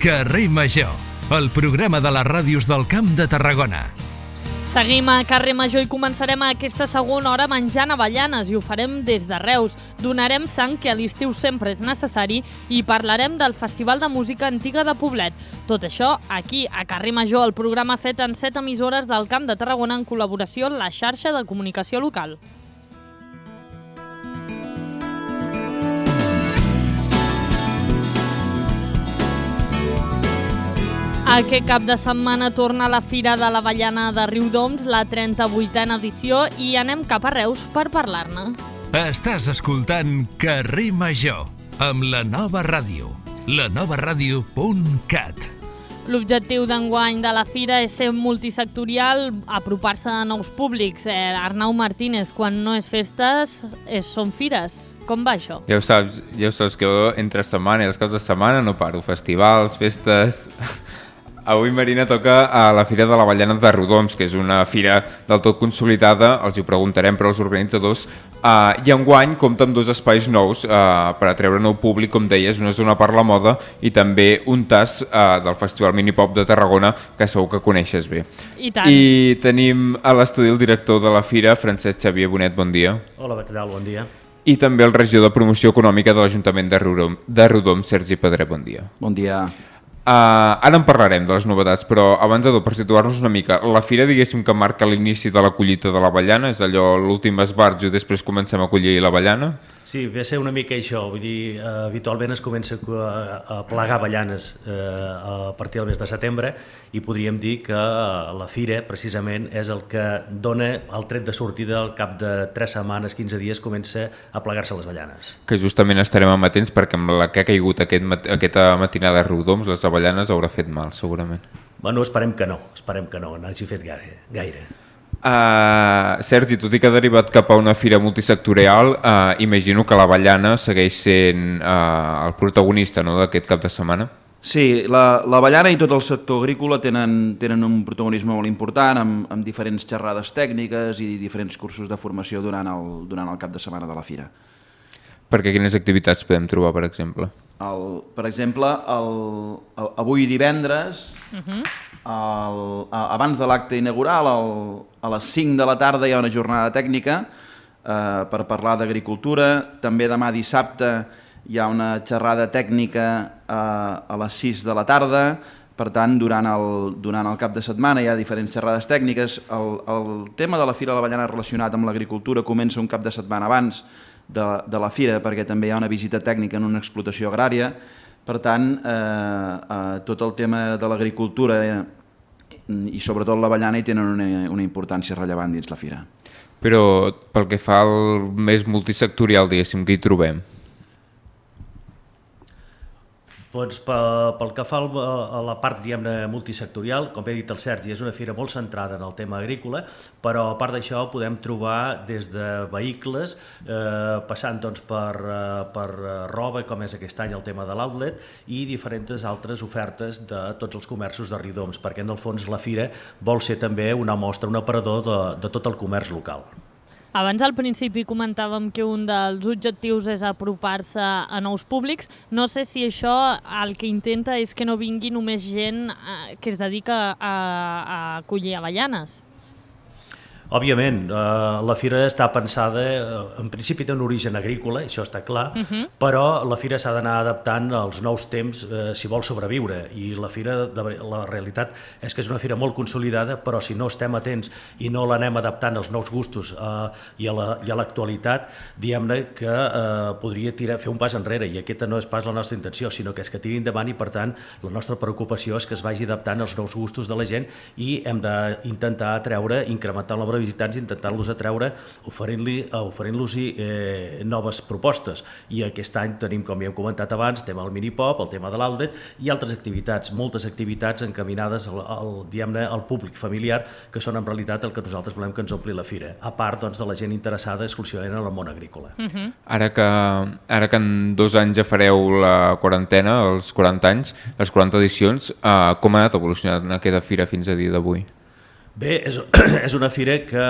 Carrer Major, el programa de les ràdios del Camp de Tarragona. Seguim a Carrer Major i començarem aquesta segona hora menjant avellanes i ho farem des de Reus. Donarem sang, que a l'estiu sempre és necessari, i parlarem del Festival de Música Antiga de Poblet. Tot això aquí, a Carrer Major, el programa fet en 7 emissores del Camp de Tarragona en col·laboració amb la xarxa de comunicació local. Aquest cap de setmana torna la Fira de l'Avellana de Riudoms, la 38a edició, i anem cap a Reus per parlar-ne. Estàs escoltant Carrer Major, amb la nova ràdio, lanovaradio.cat. L'objectiu d'enguany de la Fira és ser multisectorial, apropar-se a nous públics. Arnau Martínez, quan no és festes, són fires. Com va això? Ja ho saps que jo entre setmana i els caps de setmana no paro. Festivals, festes... Avui, Marina, toca a la Fira de l'Avellana de Riudoms, que és una fira del tot consolidada, els hi preguntarem per als organitzadors, i enguany compta amb 2 espais nous per atreure nou públic, com deies, una zona per la moda i també un tas del Festival Minipop de Tarragona, que segur que coneixes bé. I tant. I tenim a l'estudi el director de la fira, Francesc Xavier Bonet, bon dia. Hola, què tal? Bon dia. I també el regidor de Promoció Econòmica de l'Ajuntament de Riudoms, Sergi Pedret, bon dia. Bon dia. Ara en parlarem de les novetats, però abans de tot, per situar-nos una mica, la fira, diguéssim, que marca l'inici de la collita de l'avellana, és allò l'últim esbarjo i després comencem a collir l'avellana? Sí, ve a ser una mica això, vull dir, habitualment es comença a plegar avellanes a partir del mes de setembre i podríem dir que la fira, precisament, és el que dona el tret de sortida al cap de 3 setmanes, 15 dies, comença a plegar-se les avellanes. Que justament estarem amatents perquè amb la que ha caigut aquesta matinada a Riudoms, les avellanes haurà fet mal, segurament. Bueno, esperem que no n'hagi fet gaire. Sergi, tot i que ha derivat cap a una fira multisectorial, imagino que l'avellana segueix sent el protagonista, no, d'aquest cap de setmana? Sí, l'avellana i tot el sector agrícola tenen un protagonisme molt important amb diferents xerrades tècniques i diferents cursos de formació durant el cap de setmana de la fira. Perquè quines activitats podem trobar, per exemple? Per exemple, avui divendres, abans de l'acte inaugural, a les 5 de la tarda hi ha una jornada tècnica per parlar d'agricultura. També demà dissabte hi ha una xerrada tècnica a les 6 de la tarda. Per tant, durant el cap de setmana hi ha diferents xerrades tècniques. El tema de la Fira de l'Avellana relacionat amb l'agricultura comença un cap de setmana abans de la fira, perquè també hi ha una visita tècnica en una explotació agrària. Per tant, tot el tema de l'agricultura i sobretot l'avellana hi tenen una importància rellevant dins la fira. Però pel que fa al més multisectorial, diguéssim, que hi trobem? Doncs pel que fa a la part, diguem-ne, multisectorial, com he dit el Sergi, és una fira molt centrada en el tema agrícola, però a part d'això podem trobar des de vehicles, passant doncs, per roba, com és aquest any el tema de l'outlet, i diferents altres ofertes de tots els comerços de Riudoms, perquè en el fons la fira vol ser també una mostra, un aparador de tot el comerç local. Abans al principi comentàvem que un dels objectius és apropar-se a nous públics. No sé si això el que intenta és que no vingui només gent que es dedica a collir avellanes. Òbviament, la fira està pensada, en principi té un origen agrícola, això està clar, però la fira s'ha d'anar adaptant als nous temps si vol sobreviure. I la fira, la realitat és que és una fira molt consolidada, però si no estem atents i no l'anem adaptant als nous gustos i a l'actualitat, diguem-ne que podria fer un pas enrere, i aquesta no és pas la nostra intenció, sinó que és que tiri endavant, i per tant la nostra preocupació és que es vagi adaptant als nous gustos de la gent i hem d'intentar atreure, incrementar el nombre de visitants, intentant-los atreure oferint-los noves propostes. I aquest any tenim, com ja hem comentat abans, tema del minipop, el tema de l'outlet i altres activitats, moltes activitats encaminades al públic familiar, que són en realitat el que nosaltres volem que ens ompli la fira, a part de la gent interessada exclusivament en el món agrícola. Ara que en 2 anys ja fareu la quarantena, els 40 anys, les 40 edicions, com ha anat evolucionant aquesta fira fins a dia d'avui? Bé, és una fira que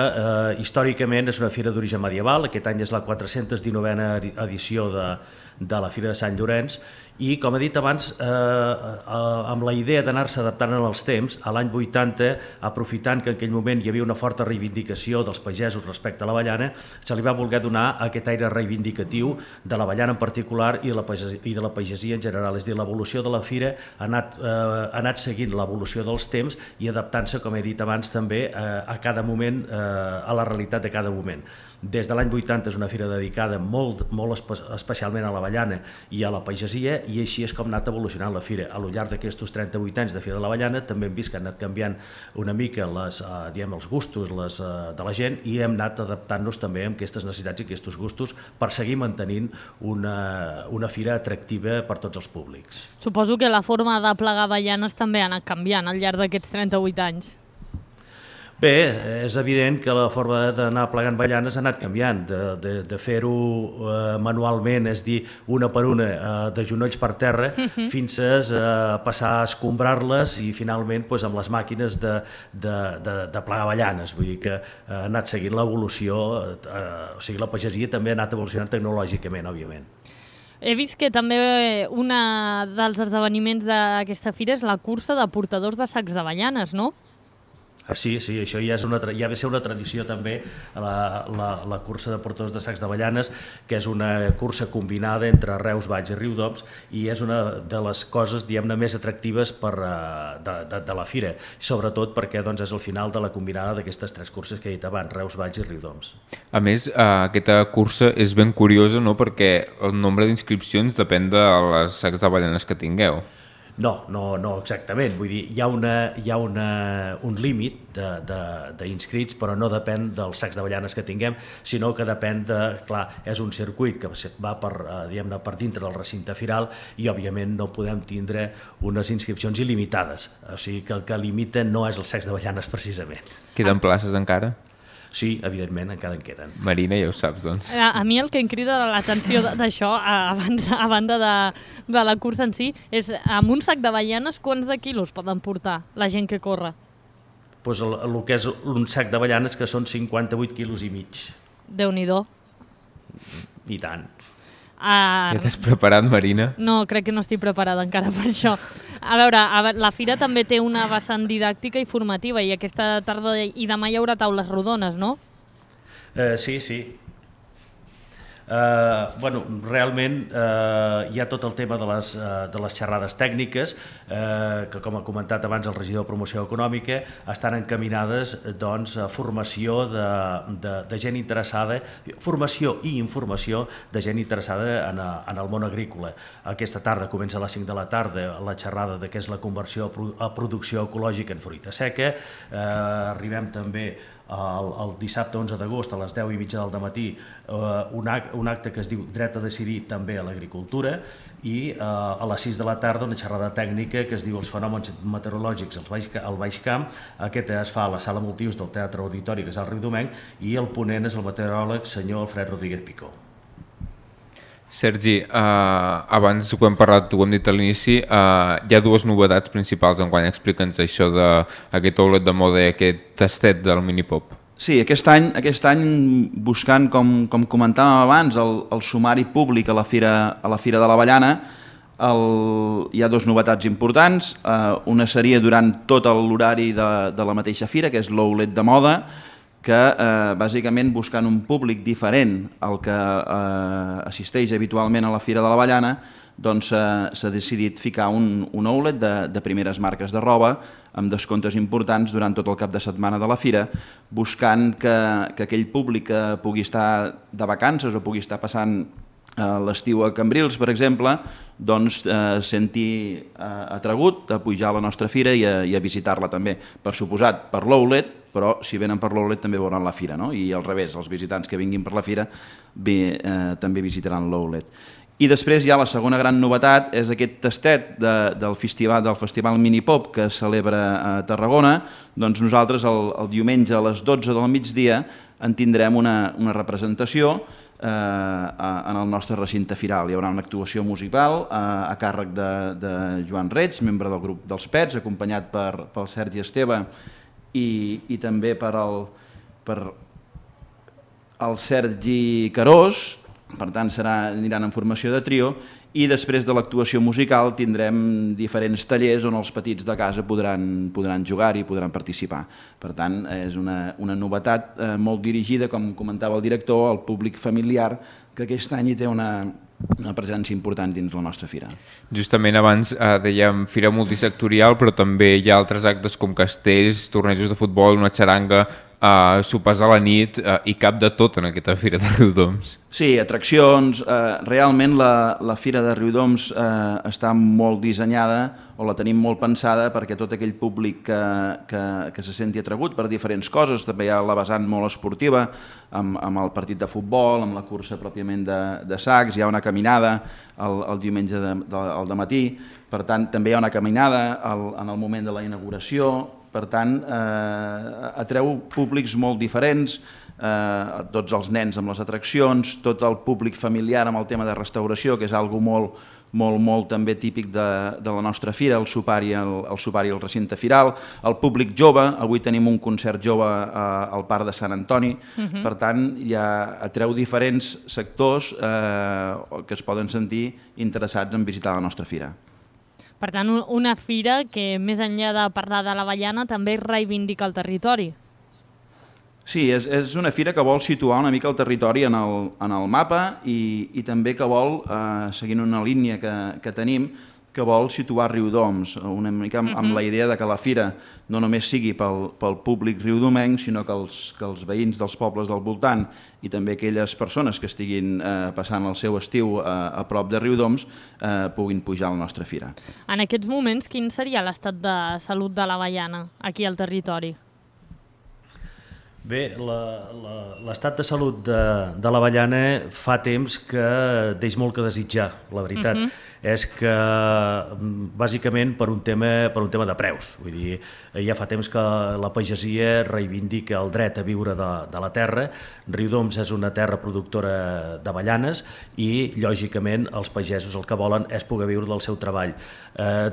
històricament és una fira d'origen medieval. Aquest any és la 419a edició de la Fira de Sant Llorenç i, com he dit abans, amb la idea d'anar-se adaptant als temps, a l'any 80, aprofitant que en aquell moment hi havia una forta reivindicació dels pagesos respecte a l'avellana, se li va voler donar aquest aire reivindicatiu de l'avellana en particular i de la pagesia en general. És a dir, l'evolució de la fira ha anat seguint l'evolució dels temps i adaptant-se, com he dit abans, també a cada moment, a la realitat de cada moment. Des de l'any 80 és una fira dedicada molt especialment a l'avellana i a la pagesia, i així és com ha anat evolucionant la fira. A lo llarg d'aquests 38 anys de Fira de l'Avellana també hem vist que han anat canviant una mica els gustos de la gent i hem anat adaptant-nos també a aquestes necessitats i aquests gustos per seguir mantenint una fira atractiva per tots els públics. Suposo que la forma de plegar avellanes també ha anat canviant al llarg d'aquests 38 anys. Bé, és evident que la forma d'anar plegant avellanes ha anat canviant, de fer-ho manualment, és dir, una per una, de genolls per terra, fins a passar a escombrar-les i finalment amb les màquines de plegar avellanes. Vull dir que ha anat seguint l'evolució, o sigui, la pagesia també ha anat evolucionant tecnològicament, òbviament. He vist que també un dels esdeveniments d'aquesta fira és la cursa de portadors de sacs d'avellanes, no? Sí, això ja va ser una tradició també, la cursa de portadors de sacs d'avellanes, que és una cursa combinada entre Reus, Valls i Riudoms, i és una de les coses, diguem-ne, més atractives de la fira, sobretot perquè és el final de la combinada d'aquestes tres curses que he dit abans, Reus, Valls i Riudoms. A més, aquesta cursa és ben curiosa, no?, perquè el nombre d'inscripcions depèn de les sacs d'avellanes que tingueu. No exactament. Vull dir, hi ha un límit d'inscrits, però no depèn dels sacs d'avellanes que tinguem, sinó que depèn clar, és un circuit que va per dintre del recinte firal i, òbviament, no podem tindre unes inscripcions il·limitades. O sigui que el que limita no és els sacs d'avellanes, precisament. Queden places encara? Sí, evidentment, encara en queden. Marina, ja ho saps, doncs. A mi el que em crida l'atenció d'això, a banda de la cursa en si, és amb un sac d'avellanes quants de quilos poden portar la gent que corre? Doncs el que és un sac d'avellanes, que són 58 quilos i mig. Déu-n'hi-do. I tant. Ja t'has preparat, Marina? No, crec que no estic preparada encara per això. A veure, la fira també té una vessant didàctica i formativa i aquesta tarda i demà hi haurà taules rodones, no? Sí. Realment hi ha tot el tema de les xerrades tècniques que, com ha comentat abans el regidor de Promoció Econòmica, estan encaminades a formació de gent interessada, formació i informació de gent interessada en el món agrícola. Aquesta tarda comença a les 5 de la tarda la xerrada de què és la conversió a producció ecològica en fruita seca. Arribem també el dissabte 11 d'agost a les 10:30 del matí un acte que es diu Dret a decidir també a l'agricultura, i a les 6 de la tarda una xerrada tècnica que es diu Els fenòmens meteorològics al Baix Camp. Aquest es fa a la sala multiús del Teatre Auditori, que és al Riudomenc, i el ponent és el meteoròleg senyor Alfred Rodríguez Picó. Sergi, abans ho hem parlat, ho hem dit a l'inici, hi ha dues novetats principals enguany. Explica'ns això d'aquest outlet de moda i aquest tastet del Minipop. Sí, aquest any buscant, com comentàvem abans, el sumari públic a la Fira de l'Avellana, hi ha dues novetats importants. Una seria durant tot l'horari de la mateixa fira, que és l'outlet de moda, que bàsicament buscant un públic diferent al que assisteix habitualment a la Fira de l'Avellana, doncs s'ha decidit ficar un outlet de primeres marques de roba amb descomptes importants durant tot el cap de setmana de la fira, buscant que aquell públic que pugui estar de vacances o pugui estar passant l'estiu a Cambrils, per exemple, doncs senti atragut a pujar a la nostra fira i a visitar-la també. Per suposat, per l'outlet, però si venen per l'outlet també veuran la fira, no? I al revés, els visitants que vinguin per la fira també visitaran l'outlet. I després ja la segona gran novetat és aquest tastet del Festival Minipop que es celebra a Tarragona. Doncs nosaltres el diumenge a les 12 del migdia en tindrem una representació en el nostre recinte firal. Hi haurà una actuació musical a càrrec de Joan Reig, membre del grup dels Pets, acompanyat pel Sergi Esteve i també per el Sergi Carós, per tant aniran en formació de trio, i després de l'actuació musical tindrem diferents tallers on els petits de casa podran jugar i podran participar. Per tant, és una novetat molt dirigida, com comentava el director, al públic familiar, que aquest any hi té una presència important dins la nostra fira. Justament abans dèiem fira multisectorial, però també hi ha altres actes com castells, tornejos de futbol, una xaranga, sopars a la nit, i cap de tot en aquesta fira de Riudoms. Sí, atraccions. Realment la fira de Riudoms està molt dissenyada, o la tenim molt pensada, perquè tot aquell públic que se senti atragut per diferents coses, també hi ha la vessant molt esportiva, amb el partit de futbol, amb la cursa pròpiament de sacs, hi ha una caminada el diumenge al dematí, per tant també hi ha una caminada en el moment de la inauguració. Per tant, atreu públics molt diferents, tots els nens amb les atraccions, tot el públic familiar amb el tema de restauració, que és algo molt també típic de la nostra fira, el sopar i el recinte firal, el públic jove, avui tenim un concert jove al Parc de Sant Antoni, per tant, atreu diferents sectors que es poden sentir interessats en visitar la nostra fira. Per tant, una fira que, més enllà de parlar de l'Avellana, també reivindica el territori. Sí, és una fira que vol situar una mica el territori en el mapa i també que vol, seguint una línia que tenim, que vol situar Riudoms, una mica amb la idea de que la fira no només sigui pel públic riudomenc, sinó que els veïns dels pobles del voltant i també aquelles persones que estiguin passant el seu estiu a prop de Riudoms puguin pujar a la nostra fira. En aquests moments, quin seria l'estat de salut de l'Avellana aquí al territori? Bé, l'estat de salut de l'Avellana fa temps que deix molt que desitjar, la veritat. És que, bàsicament, per un tema de preus. Vull dir, ja fa temps que la pagesia reivindica el dret a viure de la terra. Riudoms és una terra productora d'avellanes i, lògicament, els pagesos el que volen és poder viure del seu treball.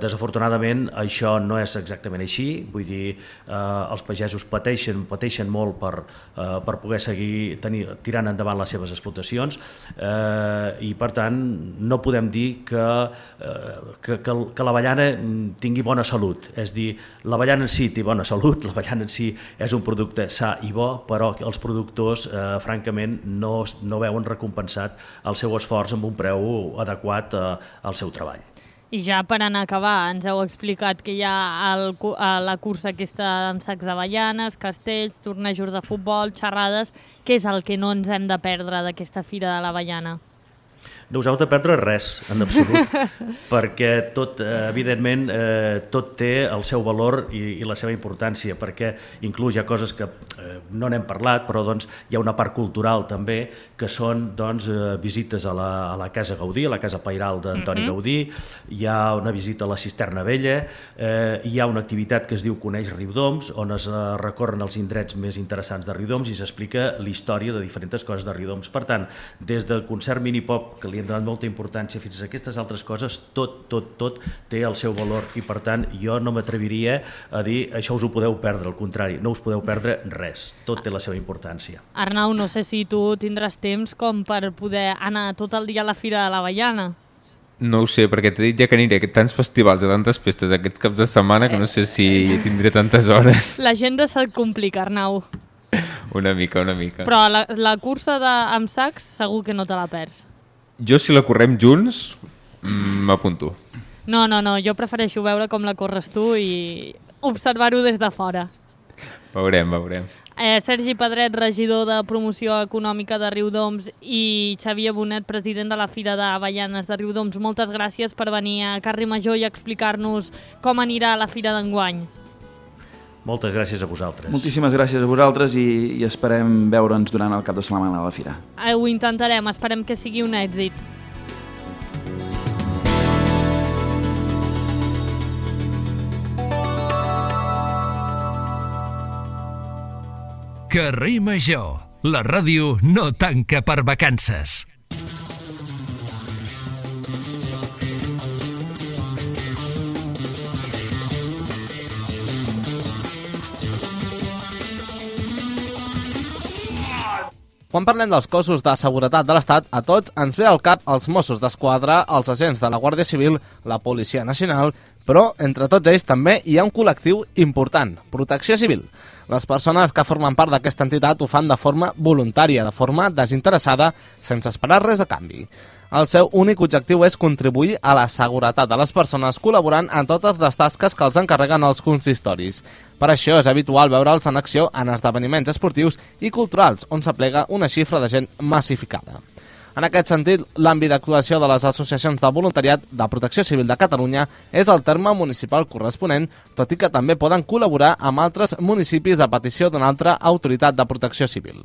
Desafortunadament, això no és exactament així. Vull dir, els pagesos pateixen molt per poder seguir tirant endavant les seves explotacions i, per tant, no podem dir que l'avellana tingui bona salut. És dir, l'avellana en si té bona salut, l'avellana en si és un producte sa i bo, però els productors, francament, no veuen recompensat el seu esforç amb un preu adequat al seu treball. I ja per anar a acabar, ens heu explicat que hi ha la cursa aquesta en sacs d'avellanes, castells, tornejos de futbol, xerrades. Què és el que no ens hem de perdre d'aquesta fira de l'Avellana? No us heu de perdre res, en absolut, perquè tot, evidentment, tot té el seu valor i la seva importància, perquè inclús hi ha coses que no n'hem parlat, però hi ha una part cultural també, que són visites a la Casa Gaudí, a la Casa Pairal d'Antoni Gaudí, hi ha una visita a la Cisterna Vella, hi ha una activitat que es diu Coneix Riudoms, on es recorren els indrets més interessants de Riudoms i s'explica la història de diferents coses de Riudoms. Per tant, des del concert mini-pop, que li hem donat molta importància, fins a aquestes altres coses, tot té el seu valor i, per tant, jo no m'atreviria a dir això us ho podeu perdre, al contrari, no us podeu perdre res, tot té la seva importància. Arnau, no sé si tu tindràs temps com per poder anar tot el dia a la Fira de l'Avellana. No ho sé, perquè t'he dit ja que aniré a tants festivals, a tantes festes aquests caps de setmana que no sé si tindré tantes hores. L'agenda se't complica, Arnau. Una mica. Però la cursa amb sacs segur que no te la perds. Jo, si la correm junts, m'apunto. No, jo prefereixo veure com la corres tu i observar-ho des de fora. Veurem. Sergi Pedret, regidor de Promoció Econòmica de Riudoms, i Xavier Bonet, president de la Fira d'Avellanes de Riudoms, moltes gràcies per venir a Carrer Major i explicar-nos com anirà la Fira d'enguany. Moltes gràcies a vosaltres. Moltíssimes gràcies a vosaltres i esperem veure'ns durant el cap de setmana a la Fira. Ho intentarem, esperem que sigui un èxit. Carrer Major, la ràdio no tanca per vacances. Quan parlem dels cossos de seguretat de l'Estat, a tots ens ve al cap els Mossos d'Esquadra, els agents de la Guàrdia Civil, la Policia Nacional, però entre tots ells també hi ha un col·lectiu important, Protecció Civil. Les persones que formen part d'aquesta entitat ho fan de forma voluntària, de forma desinteressada, sense esperar res a canvi. El seu únic objectiu és contribuir a la seguretat de les persones col·laborant en totes les tasques que els encarreguen els consistoris. Per això és habitual veure'ls en acció en esdeveniments esportius i culturals, on s'aplega una xifra de gent massificada. En aquest sentit, l'àmbit d'actuació de les associacions de voluntariat de Protecció Civil de Catalunya és el terme municipal corresponent, tot i que també poden col·laborar amb altres municipis a petició d'una altra autoritat de protecció civil.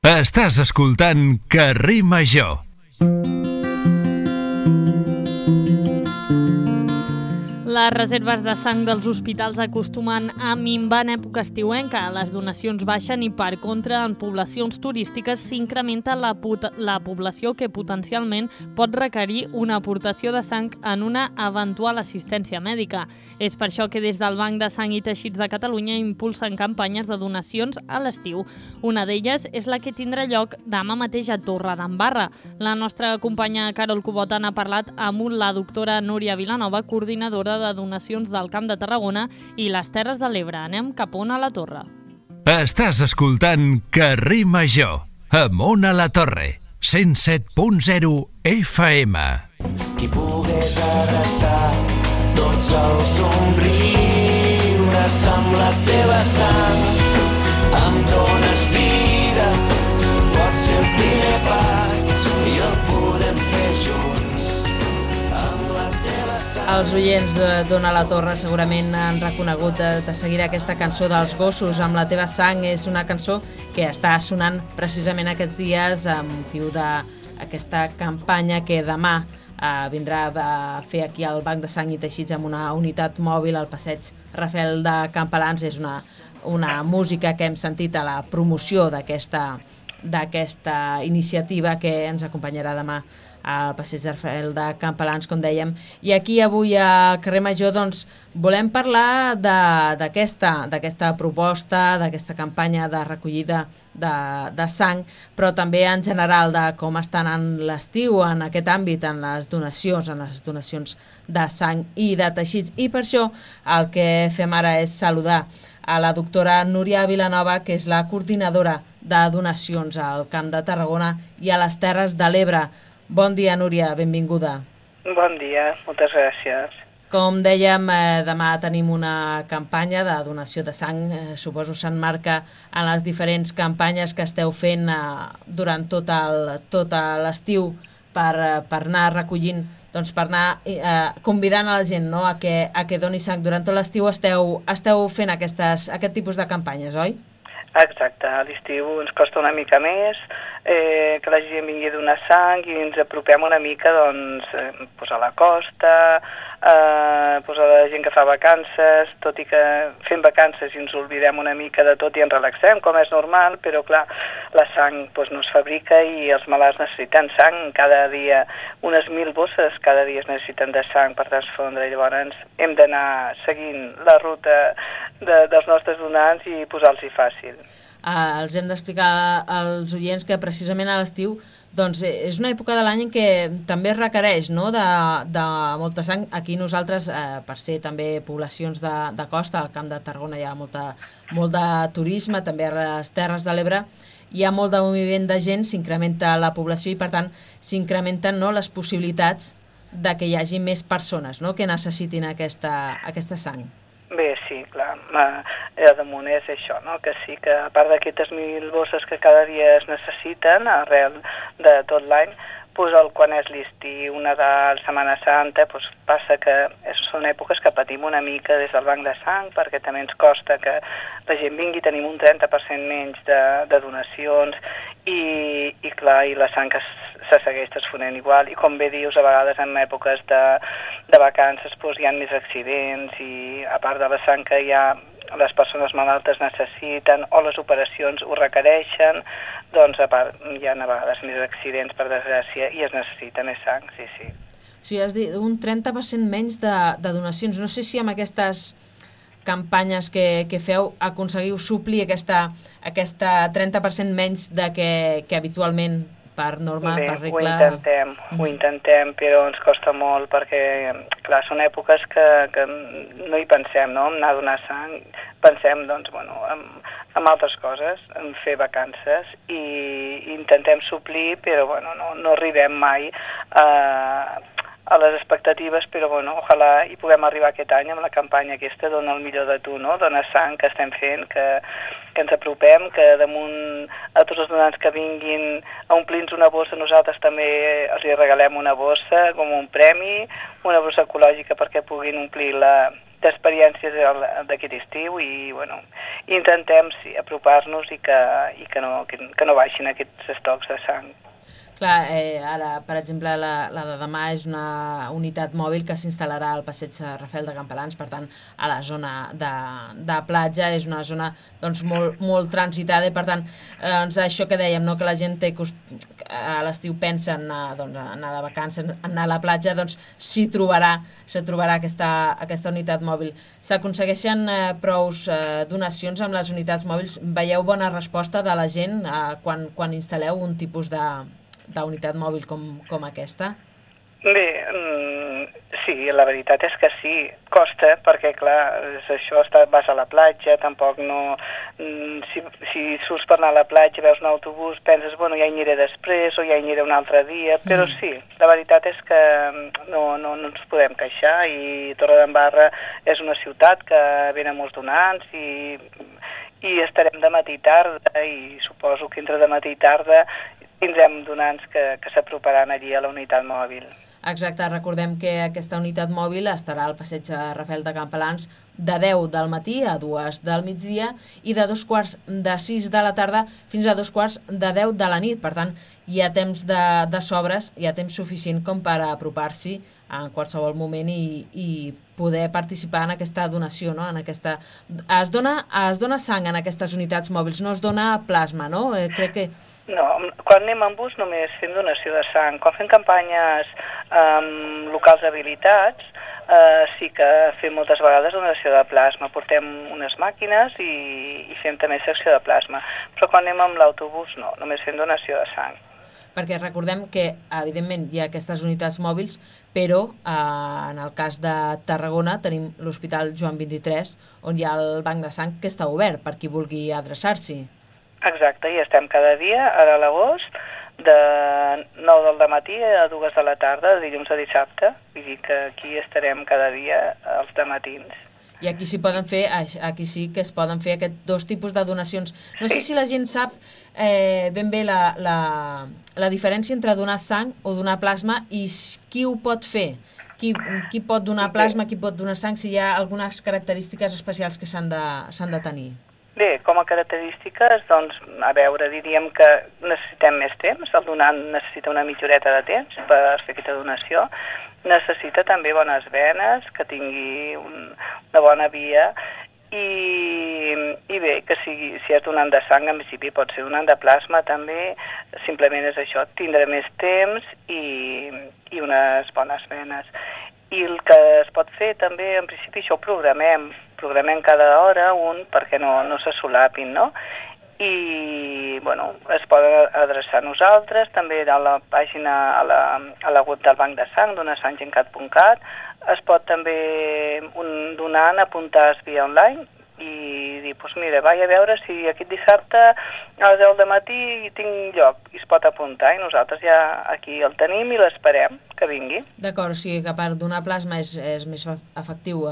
Estàs escoltant Carrer Major. Les reserves de sang dels hospitals acostumen a minvar en època estiuenca. Les donacions baixen i, per contra, en poblacions turístiques s'incrementa la població que potencialment pot requerir una aportació de sang en una eventual assistència mèdica. És per això que des del Banc de Sang i Teixits de Catalunya impulsen campanyes de donacions a l'estiu. Una d'elles és la que tindrà lloc demà mateix a Torredembarra. La nostra companya Carol Cubota n'ha parlat amb la doctora Núria Vilanova, coordinadora de donacions del Camp de Tarragona i les Terres de l'Ebre. Anem cap on a la Torre. Estàs escoltant Carrer Major, amunt a la Torre, 107.0 FM. Qui pogués abraçar tots els somriures amb la teva sang, em dones vida, pot ser el primer pas i el podem fer junts amb la teva sang. Els oients d'Ona la Torre segurament han reconegut de seguida aquesta cançó dels Gossos amb la teva sang. És una cançó que està sonant precisament aquests dies a motiu d'aquesta campanya que demà vindrà a fer aquí al Banc de Sang i Teixits amb una unitat mòbil al passeig Rafael de Campalans. És una música que hem sentit a la promoció d'aquesta iniciativa que ens acompanyarà demà al passeig Rafael de Campalans, com dèiem. I aquí avui a Carrer Major doncs, volem parlar d'aquesta proposta, d'aquesta campanya de recollida de sang, però també en general de com està anant l'estiu en aquest àmbit, en les donacions de sang i de teixits. I per això el que fem ara és saludar a la doctora Núria Vilanova, que és la coordinadora de donacions al Camp de Tarragona i a les Terres de l'Ebre. Bon dia, Núria, benvinguda. Bon dia, moltes gràcies. Com dèiem, demà tenim una campanya de donació de sang. Suposo s'emmarca en les diferents campanyes que esteu fent durant tot l'estiu per anar recollint, doncs per anar convidant a la gent, no?, a que doni sang. Durant tot l'estiu esteu fent aquest tipus de campanyes, oi? Exacte, a l'estiu ens costa una mica més que la gent vingui a donar sang i ens apropem una mica doncs, a la costa, a la gent que fa vacances, tot i que fem vacances i ens oblidem una mica de tot i ens relaxem, com és normal, però clar, la sang no es fabrica i els malalts necessiten sang cada dia, unes 1.000 bosses cada dia es necessiten de sang per transfondre, i llavors hem d'anar seguint la ruta dels nostres donants i posar-los-hi fàcil. Els hem d'explicar als oients que precisament a l'estiu doncs, és una època de l'any en què també es requereix, no?, de molta sang. Aquí nosaltres, per ser també poblacions de costa, al Camp de Tarragona hi ha molt de turisme, també a les Terres de l'Ebre hi ha molt de moviment de gent, s'incrementa la població i per tant s'incrementen, no, les possibilitats de que hi hagi més persones, no?, que necessitin aquesta sang. Bé, sí, clar, damunt és això, no? Que sí que a part d'aquestes 1.000 bosses que cada dia es necessiten arrel de tot l'any, quan és l'estiu, Nadal, Setmana Santa, passa que són èpoques que patim una mica des del banc de sang, perquè també ens costa que la gent vingui, tenim un 30% menys de donacions i clar, i la sang se segueix transfonent igual, i com bé dius, a vegades en èpoques de vacances hi ha més accidents i a part de la sang que les persones malaltes necessiten o les operacions ho requereixen, doncs a part hi ha a vegades més accidents, per desgràcia, i es necessita més sang, sí, sí. O sigui, has dit un 30% menys de donacions. No sé si amb aquestes campanyes que feu, aconseguiu suplir aquesta 30% menys de que habitualment per norma, Bé, per regla... ho intentem, però ens costa molt perquè, clar, són èpoques que no hi pensem, no?, en anar a donar sang. Pensem, doncs, bueno, en altres coses, en fer vacances i intentem suplir, però, bueno, no arribem mai a les expectatives, però, bueno, ojalà hi puguem arribar aquest any amb la campanya aquesta Dona el millor de tu, no?, Dona sang, que estem fent, que ens apropem, que damunt a tots els donants que vinguin a omplir-nos una bossa, nosaltres també els regalem una bossa com un premi, una bossa ecològica perquè puguin omplir-la d'experiències d'aquest estiu i, bueno, intentem, sí, apropar-nos i que no baixin aquests estocs de sang. Clar, ara, per exemple, la de demà és una unitat mòbil que s'instal·larà al passeig Rafel de Campalans, per tant, a la zona de platja, és una zona doncs, molt transitada i, per tant, doncs, això que dèiem, no? Que la gent a l'estiu pensa en anar de vacances, en anar a la platja, doncs s'hi trobarà aquesta unitat mòbil. S'aconsegueixen prous donacions amb les unitats mòbils? Veieu bona resposta de la gent quan instal·leu un tipus d'unitat mòbil com aquesta? Bé, sí, la veritat és que sí, costa, perquè clar, és això, vas a la platja, tampoc no... Si surts per anar a la platja, veus un autobús, penses, bueno, ja hi aniré després o ja hi aniré un altre dia, però sí, la veritat és que no ens podem queixar i Torredembarra és una ciutat que venen molts donants i estarem de matí i tarda i suposo que entre de matí i tarda tindrem donants que s'aproparan allí a la unitat mòbil. Exacte, recordem que aquesta unitat mòbil estarà al passeig Rafel de Campalans de 10 del matí a 2 del migdia i de 5:45 de la tarda fins a 5:45 de la nit. Per tant, hi ha temps de sobres, hi ha temps suficient com per apropar-s'hi en qualsevol moment i poder participar en aquesta donació, no? Es dona sang en aquestes unitats mòbils, no es dona plasma, no? Crec que... No, quan anem en bus només fem donació de sang. Quan fem campanyes locals habilitats, sí que fem moltes vegades donació de plasma. Portem unes màquines i fem també secció de plasma. Però quan anem amb l'autobús no, només fem donació de sang. Perquè recordem que, evidentment, hi ha aquestes unitats mòbils, però en el cas de Tarragona tenim l'Hospital Joan 23, on hi ha el banc de sang que està obert per qui vulgui adreçar-s'hi. Exacte, i estem cada dia, ara a l'agost, de 9 del matí a 2 de la tarda, de dilluns a dissabte. Vull dir que aquí estarem cada dia als dematins. I aquí sí que es poden fer aquests dos tipus de donacions. No sé si la gent sap ben bé la diferència entre donar sang o donar plasma i qui ho pot fer. Qui pot donar plasma, qui pot donar sang, si hi ha algunes característiques especials que s'han de tenir. Bé, com a característiques, doncs, a veure, diríem que necessitem més temps, el donant necessita una mitja horeta de temps per fer aquesta donació, necessita també bones venes, que tingui una bona via, i bé, que si és donant de sang, en principi pot ser donant de plasma també, simplement és això, tindre més temps i unes bones venes. I el que es pot fer també, en principi, això ho programem cada hora perquè no se solapin, no? I, bueno, es poden adreçar a nosaltres, també a la pàgina, a la web del Banc de Sang, donasanggencat.cat, es pot també un donant apuntar-se via online i dir, doncs mira, vaig a veure si aquest dissabte a les 10 del matí tinc lloc, i es pot apuntar, i nosaltres ja aquí el tenim i l'esperem que vingui. D'acord, o sigui que per donar plasma és més efectiu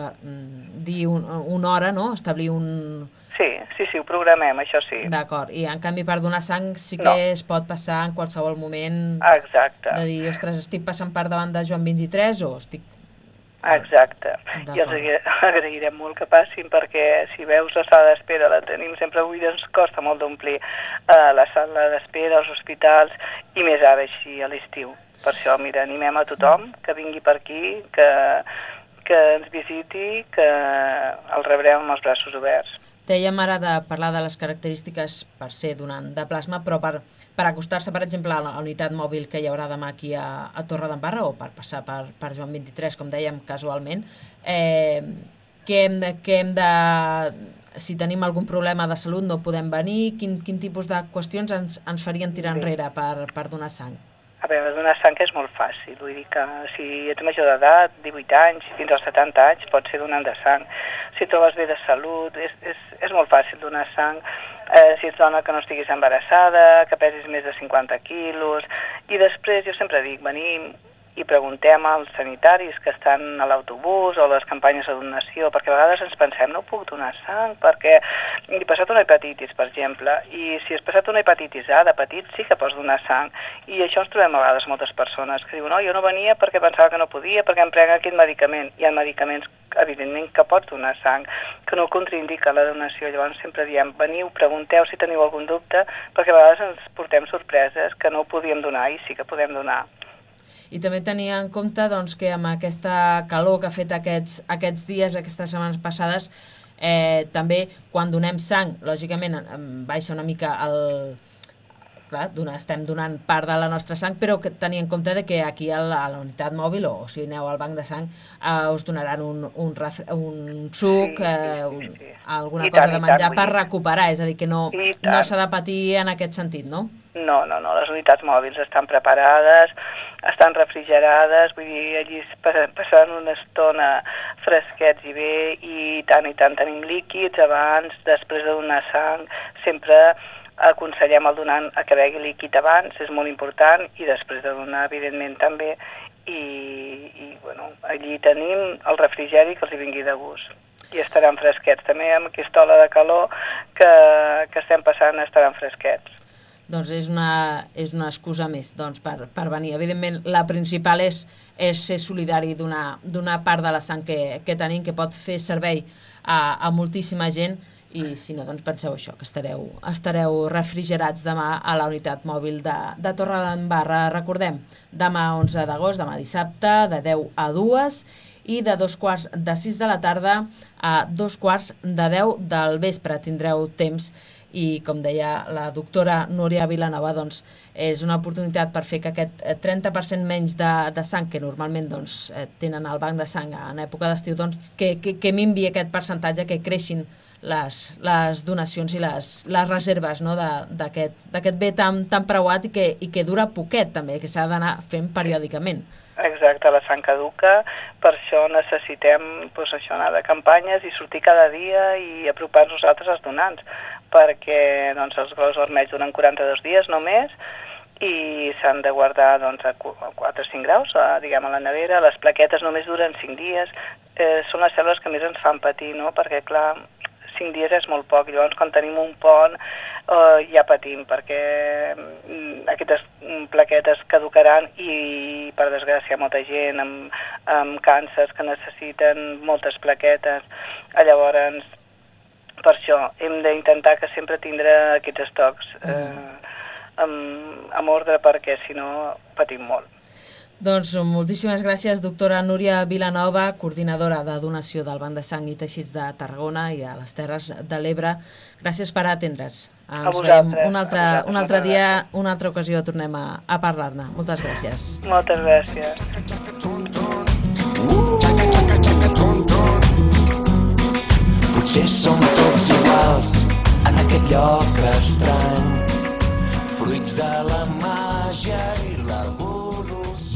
dir una hora, no? Establir un... Sí, ho programem, això sí. D'acord, i en canvi per donar sang sí que es pot passar en qualsevol moment. Exacte. De dir, ostres, estic passant per davant de Joan 23 o estic... Exacte, i els agrairem molt que passin perquè si veus la sala d'espera la tenim sempre buida, ens costa molt d'omplir la sala d'espera, els hospitals i més ara així a l'estiu. Per això, mira, animem a tothom que vingui per aquí, que ens visiti, que el rebrem amb els braços oberts. Dèiem ara de parlar de les característiques per ser donant de plasma, però per acostar-se, per exemple, a la unitat mòbil que hi haurà demà aquí a Torredembarra o per passar per Joan 23, com dèiem casualment, que hem de... Si tenim algun problema de salut no podem venir, quin tipus de qüestions ens farien tirar enrere per donar sang? A veure, donar sang és molt fàcil, vull dir que si ets major d'edat, 18 anys, fins als 70 anys, pots ser donant de sang. Si trobes bé de salut, és molt fàcil donar sang. Si ets dona que no estiguis embarassada, que pesis més de 50 quilos, i després jo sempre dic, venim i preguntem als sanitaris que estan a l'autobús o a les campanyes de donació, perquè a vegades ens pensem, no puc donar sang perquè he passat una hepatitis, per exemple, i si has passat una hepatitis A de petit sí que pots donar sang, i això ens trobem a vegades moltes persones que diuen, no, jo no venia perquè pensava que no podia, perquè em prenc aquest medicament. Hi ha medicaments, evidentment, que pots donar sang, que no contraindica la donació. Llavors sempre diem, veniu, pregunteu si teniu algun dubte, perquè a vegades ens portem sorpreses que no podíem donar i sí que podem donar. I també tenia en compte doncs, que amb aquesta calor que ha fet aquests dies, aquestes setmanes passades, també quan donem sang, lògicament baixa una mica el... Clar, estem donant part de la nostra sang, però que tenir en compte que aquí a la unitat mòbil, o si aneu al banc de sang, us donaran un suc, alguna cosa de menjar per recuperar, és a dir, que no s'ha de patir en aquest sentit, no? No, les unitats mòbils estan preparades, estan refrigerades, vull dir, allí passaran una estona fresquets i bé, i tant tenim líquids abans, després de donar sang, sempre aconsellem al donant a que begui líquid abans, és molt important, i després de donar, evidentment, també, i bueno, allí tenim el refrigeri que els hi vingui de gust, i estaran fresquets. També amb aquesta ola de calor que estem passant estaran fresquets. Doncs és una excusa més per venir. Evidentment, la principal és ser solidari d'una part de la sang que tenim, que pot fer servei a moltíssima gent, i si no, doncs penseu això, que estareu refrigerats demà a la unitat mòbil de Torredembarra. Recordem, demà 11 d'agost, demà dissabte, de 10 a 2, i de 2:15 de la tarda a 2:15 del vespre. Tindreu temps, i com deia la doctora Núria Vilanova, doncs és una oportunitat per fer que aquest 30% menys de sang que normalment doncs, tenen al banc de sang en època d'estiu, doncs, que minvi aquest percentatge, que creixin les donacions i les reserves, no, d'aquest bé tan preuat i que dura poquet també, que s'ha d'anar fent periòdicament. Exacte, la sang caduca, per això necessitem anar de campanyes i sortir cada dia i apropar-nos nosaltres als donants, perquè els globus vermells duren 42 dies només, i s'han de guardar a 4 o 5 graus, diguem, a la nevera. Les plaquetes només duren 5 dies, són les cèl·lules que més ens fan patir, no? Perquè, clar, 5 dies és molt poc, llavors quan tenim un pont ja patim, perquè aquestes plaquetes caducaran i, per desgràcia, molta gent amb càncers que necessiten moltes plaquetes. Llavors, per això hem d'intentar que sempre tindre aquests estocs amb ordre, perquè si no patim molt. Doncs moltíssimes gràcies, doctora Núria Vilanova, coordinadora de donació del Banc de Sang i Teixits de Tarragona i a les Terres de l'Ebre. Gràcies per atendre's. Ens veiem un altre dia, una altra ocasió, tornem a parlar-ne. Moltes gràcies. Moltes gràcies. Potser som tots iguals en aquest lloc estrany, fruits de la màgia i l'evolució.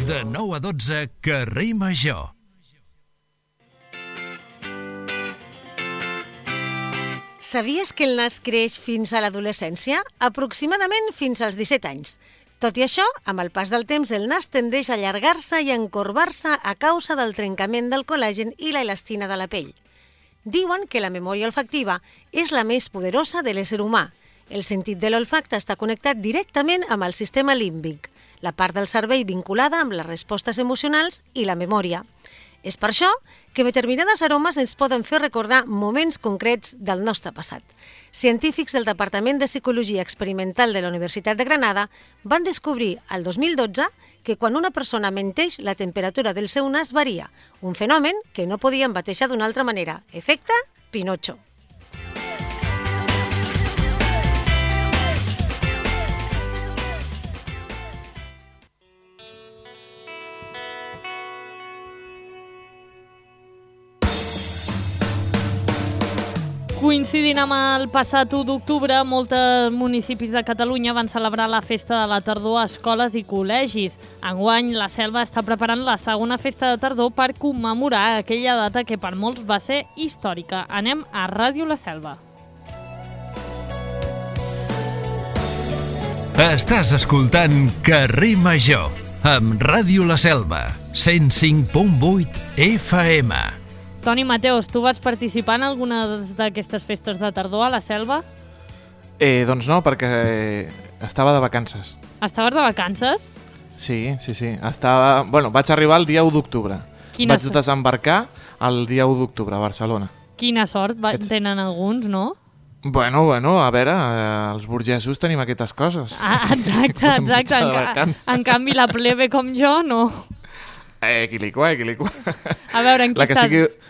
De 9 a 12, Carrer Major. Sabies que el nas creix fins a l'adolescència? Aproximadament fins als 17 anys. Tot i això, amb el pas del temps, el nas tendeix a allargar-se i a encorbar-se a causa del trencament del col·làgen i la elastina de la pell. Diuen que la memòria olfactiva és la més poderosa de l'ésser humà. El sentit de l'olfacte està connectat directament amb el sistema límbic, la part del cervell vinculada amb les respostes emocionals i la memòria. És per això que determinades aromes ens poden fer recordar moments concrets del nostre passat. Científics del Departament de Psicologia Experimental de la Universitat de Granada van descobrir el 2012 que quan una persona menteix, la temperatura del seu nas varia, un fenomen que no podien batejar d'una altra manera. Efecte Pinocho. Coincidint amb el passat 1 d'octubre, molts municipis de Catalunya van celebrar la festa de la tardor a escoles i col·legis. Enguany, la Selva està preparant la segona festa de tardor per commemorar aquella data que per molts va ser històrica. Anem a Ràdio La Selva. Estàs escoltant Carrer Major amb Ràdio La Selva, 105.8 FM. Toni Mateos, tu vas participar en alguna d'aquestes festes de tardor a la Selva? Doncs no, perquè estava de vacances. Estaves de vacances? Sí. Vaig arribar el dia 1 d'octubre. Vaig desembarcar el dia 1 d'octubre a Barcelona. Quina sort tenen alguns, no? Bueno, a veure, els burgesos tenim aquestes coses. Exacte. En canvi, la plebe com jo, no. Quilicua. A veure, en qui estàs?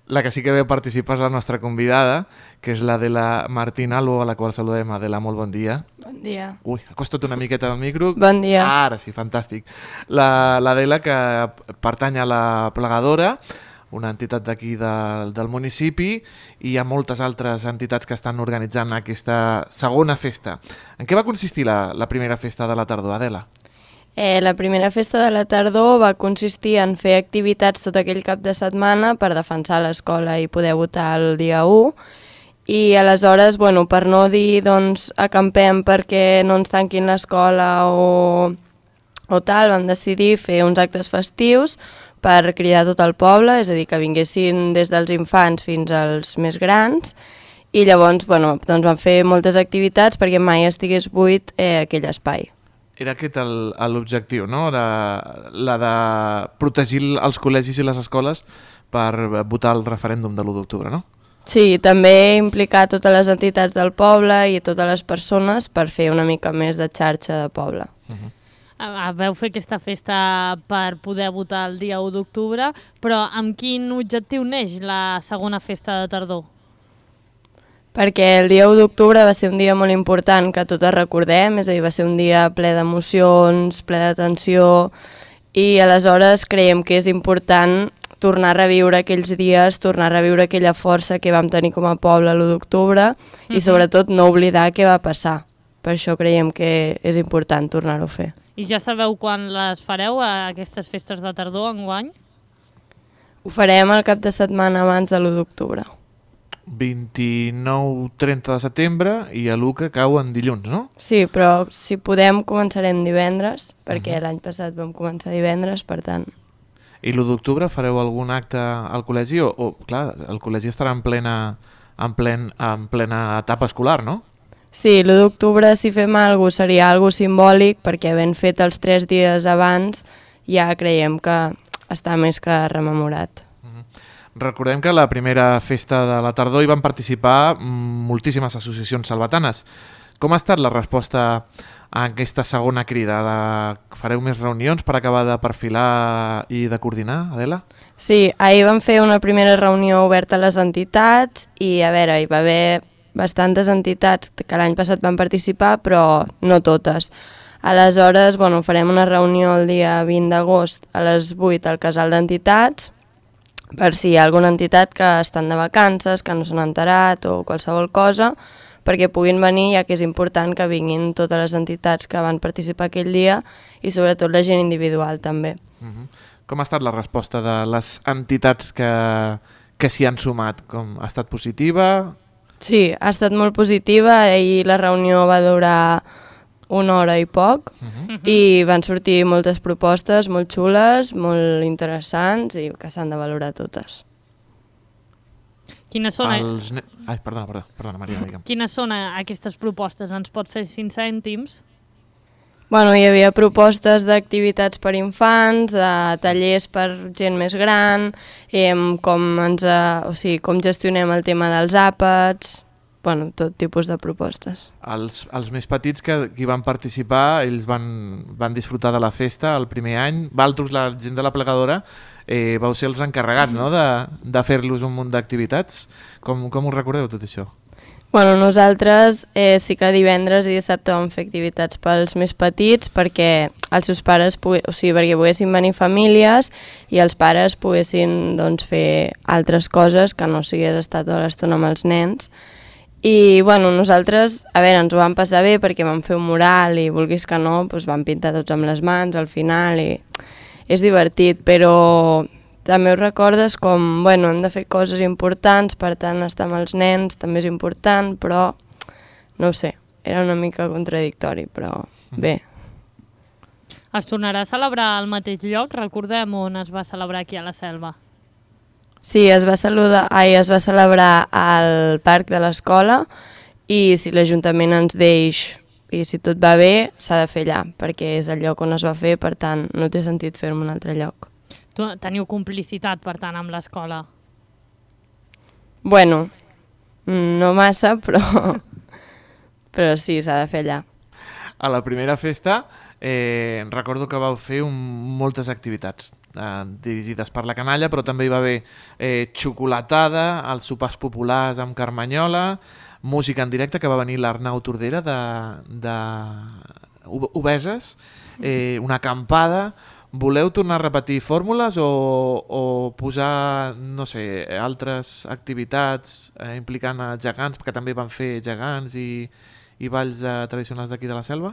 La que sí que ve a participar és la nostra convidada, que és l'Adela Martín Albo, a la qual saludem. Adela, molt bon dia. Bon dia. Ui, acosta't una miqueta al micro. Bon dia. Ara sí, fantàstic. L'Adela, que pertany a la Plegadora, una entitat d'aquí del municipi, i hi ha moltes altres entitats que estan organitzant aquesta segona festa. En què va consistir la primera festa de la tardor, Adela? La primera festa de la tardor va consistir en fer activitats tot aquell cap de setmana per defensar l'escola i poder votar el dia 1. I aleshores, per no dir acampem perquè no ens tanquin l'escola o tal, vam decidir fer uns actes festius per cridar tot el poble, és a dir, que vinguessin des dels infants fins als més grans, i llavors vam fer moltes activitats perquè mai estigués buit aquell espai. Era aquest l'objectiu, no? La de protegir els col·legis i les escoles per votar el referèndum de l'1 d'octubre, no? Sí, també implicar totes les entitats del poble i totes les persones per fer una mica més de xarxa de poble. Vau fer aquesta festa per poder votar el dia 1 d'octubre, però amb quin objectiu neix la segona festa de tardor? Perquè el dia 1 d'octubre va ser un dia molt important que totes recordem, és a dir, va ser un dia ple d'emocions, ple de tensió, i aleshores creiem que és important tornar a reviure aquells dies, tornar a reviure aquella força que vam tenir com a poble l'1 d'octubre i sobretot no oblidar què va passar. Per això creiem que és important tornar-ho a fer. I ja sabeu quan les fareu, aquestes festes de tardor, enguany? Ho farem el cap de setmana abans de l'1 d'octubre. 29-30 de setembre i a l'1 que cau en dilluns, no? Sí, però si podem començarem divendres, perquè l'any passat vam començar divendres, per tant. I l'1 d'octubre fareu algun acte al col·legi? Clar, el col·legi estarà en plena etapa escolar, no? Sí, l'1 d'octubre si fem alguna cosa seria alguna cosa simbòlic, perquè havent fet els 3 dies abans ja creiem que està més que rememorat. Recordem que la primera festa de la tardor hi van participar moltíssimes associacions salvatanes. Com ha estat la resposta a aquesta segona crida? Fareu més reunions per acabar de perfilar i de coordinar, Adela? Sí, ahir vam fer una primera reunió oberta a les entitats i a veure, hi va haver bastantes entitats que l'any passat van participar, però no totes. Aleshores, farem una reunió el dia 20 d'agost a les 8 al casal d'entitats, per si hi ha alguna entitat que estan de vacances, que no s'han enterat o qualsevol cosa, perquè puguin venir, ja que és important que vinguin totes les entitats que van participar aquell dia i sobretot la gent individual també. Com ha estat la resposta de les entitats que s'hi han sumat? Ha estat positiva? Sí, ha estat molt positiva i la reunió va durar 1 hora i poc i van sortir moltes propostes molt xules, molt interessants i que s'han de valorar totes. Quines són, Perdona, Maria, digue'm. Quines són aquestes propostes? Ens pot fer 5 cèntims? Hi havia propostes d'activitats per infants, de tallers per gent més gran, com gestionem el tema dels àpats, tot tipus de propostes. Els més petits que hi van participar, ells van disfrutar de la festa el primer any. Valtros, la gent de la Plegadora, vau ser els encarregats, no?, de fer-los un munt d'activitats. Com ho recordeu, tot això? Bueno, nosaltres sí que divendres i dissabte vam fer activitats pels més petits perquè els seus pares, perquè poguessin venir famílies i els pares poguessin doncs, fer altres coses que no sigués estar tota l'estona amb els nens. I bueno, nosaltres, a veure, ens ho vam passar bé perquè vam fer un mural i vulguis que no, doncs vam pintar tots amb les mans al final i és divertit, però també ho recordes com, bueno, hem de fer coses importants, per tant estar amb els nens també és important, però no ho sé, era una mica contradictori, però bé. Es tornarà a celebrar al mateix lloc? Recordem on es va celebrar aquí a la Selva. Sí, es va celebrar al parc de l'escola i si l'Ajuntament ens deix i si tot va bé s'ha de fer allà, perquè és el lloc on es va fer, per tant no té sentit fer-ho en un altre lloc. Teniu complicitat, per tant, amb l'escola? Bueno, no massa, però sí, s'ha de fer allà. A la primera festa recordo que vau fer moltes activitats dirigides per la canalla, però també hi va haver xocolatada, els sopars populars amb carmanyola, música en directe, que va venir l'Arnau Tordera de Obeses, una acampada. Voleu tornar a repetir fórmules o posar, no sé, altres activitats implicant a gegants, perquè també van fer gegants i balls tradicionals d'aquí de la Selva?